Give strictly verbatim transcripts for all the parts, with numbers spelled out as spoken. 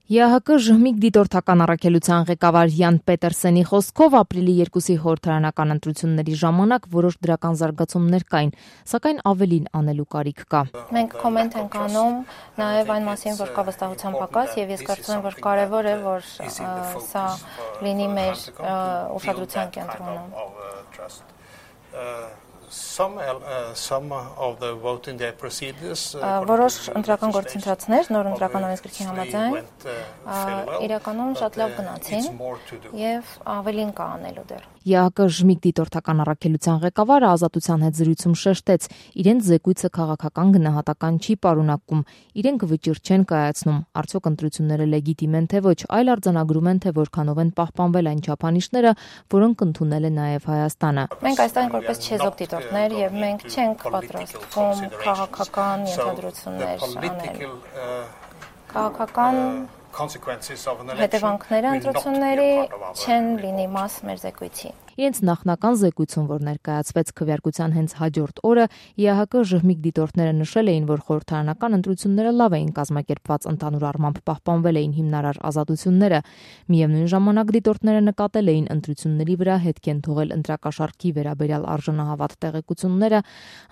ԵԱՀԿ ժմիկ դիտորդական առաքելության ղեկավար Յան Պետերսենի խոսքով ապրիլի երկուսի խորհրդարանական ընտրությունների ժամանակ որոշ դրական զարգացումներ կային, սակայն ավելին անելու կարիք կա։ Մենք կոմենտ ենք անում նաև այն մասին, որ կա վստահության պակաս, եւ ես կարծում եմ, որ կարևոր է, որ սա լինի մեր ուշադրության կենտրոնում։ Some uh, some of the voting day procedures որոշ ընտրական գործընթացներ նոր ընտրական օրենսգրքի համաձայն իրականում շատ լավ գնացին եւ ավելին կա անելու դեռ։ ԵԱՀԿ ժմիկ դիտորդական առաքելության ղեկավարը Ազատության հետ զրույցում շեշտեց, իրենց զեկույցը քաղաքական գնահատական չի պարունակում, իրենք վճիռ չեն կայացնում, արդյոք ընտրությունները լեգիտիմ են թե ոչ, այլ արձանագրում են, թե որքանով են պահպանվել այն չափանիշները, որոնք ընդունել է նաև Հայաստանը։ Մենք այստեղ որպես չեզոք դիտորդներ եւ մենք չենք պատրաստվում քաղաքական ենթադրություններ անել։ Քաղաքական հետևանքները ընտրությունների չեն լինի մաս մեր զեկույցի։ Իրենց նախնական զեկույցում, որ ներկայացվեց քվեարկության հենց հաջորդ օրը, ԵԱՀԿ ժմիկ դիտորդները նշել էին, որ խորհրդարանական ընտրությունները լավ էին կազմակերպված, ընդհանուր առմամբ պահպանվել էին հիմնարար ազատությունները։ Միևնույն ժամանակ դիտորդները նկատել էին ընտրությունների վրա հետք են թողել ընտրակաշառքի վերաբերյալ արժանահավատ տեղեկությունները,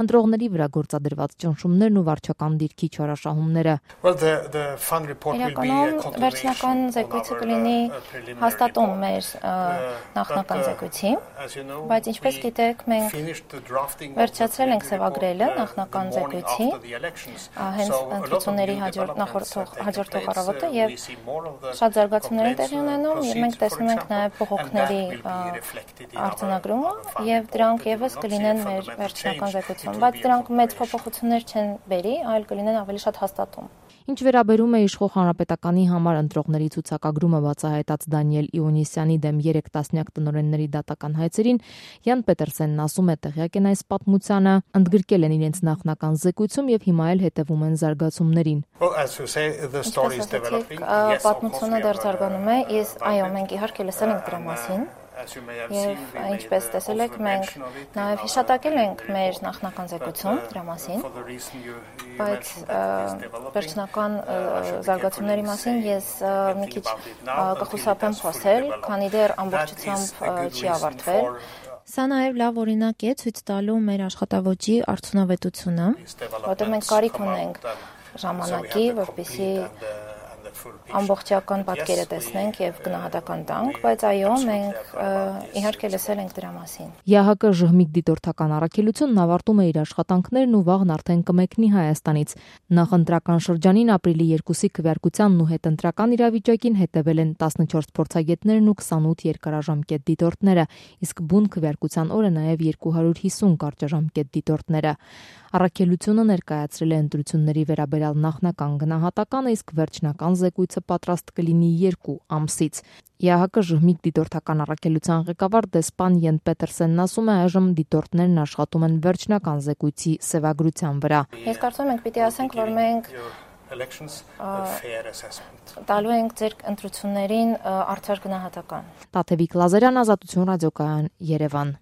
ընտրողների վրա գործադրված ճնշումներն ու վարչական դիրքի չարաշահումները։ Վերջնական զեկույցը կլինի հաստատում մեր նախնական զեկույցի, բայց ինչպես գիտեք, մենք վերջացրել ենք սևագրելը նախնական զեկույցի, հենց ընտրությունների հաջորդող առավոտը եւ շատ զարգացումներ են տեղի ունենում եւ մենք տեսնում ենք նաեւ բողոքների արձանագրումը եւ դրանք եւս կլինեն մեր վերջնական զեկույցում, բայց դրանք մեծ փոփոխություններ չեն բերի, այլ կլինեն ավելի շատ հաստատում։ Ինչ վերաբերում է իշխող հանրապետականի համար ընտրողների ցուցակագրումը բացահայտած Դանիել Իոնիսյանի դեմ երեք տասնյակ տնօրենների դատական հայցերին, Յան Պետերսենն ասում է տեղյակ են այս պատմությանը, ընդգրկել են իրենց նախնական զեկույցում եւ հիմա էլ հետեւում են զարգացումներին։ Պատմությունը դեռ զարգանում է, ես այո, մենք իհարկե լսել ենք դրա մասին։ Եվ ինչպես տեսել եք, մենք նաև հիշատակել ենք մեր նախնական զեկույցում դրա մասին, բայց վերջնական զարգացումների մասին ես մի քիչ կխուսափեմ խոսել, քանի դեռ ամբողջությամբ չի ավարտվել։ Սա նաև լավ օրինակ է ցույց տալու մեր աշխատավոճի արդյունավետությունը, որտեղ մենք կարիք ունենք ժամանակի, որպեսզի ամբողջական պատկերը տեսնենք եւ գնահատական տանք, բայց այո, մենք իհարկե լսել ենք դրա մասին։ ԵԱՀԿ ժմիկ դիտորդական առաքելությունն ավարտում է իր աշխատանքներն ու վաղն արդեն կմեկնի Հայաստանից։ Նախընտրական շրջանին ապրիլի երկուսի քվեարկությանն ու հետընտրական իրավիճակին հետևել են տասնչորս փորձագետներն ու քսանութ երկարաժամկետ դիտորդները, իսկ բուն քվեարկության օրը նաեւ երկու հարյուր հիսուն կարճաժամկետ դիտորդները։ Առաքելությունը ներկայացրել է ընտրությունների վերաբերյալ նախնական գնահատականը, իսկ վերջնական զեկույցը պատրաստ կլինի երկու ամսից։ ԵԱՀԿ ժմիկ դիտորդական առաքելության ղեկավար դեսպան Յան Պետերսենն ասում է, այժմ դիտորդներն աշխատում են վերջնական զեկույցի սևագրության վրա։ Ես կարծում եմ, պիտի ասենք, որ մենք տալու ենք ձեր ընտրություններին արդար գնահատական։ Տաթևիկ Լազարյան, Ազատություն ռադիոկայան, Երևան։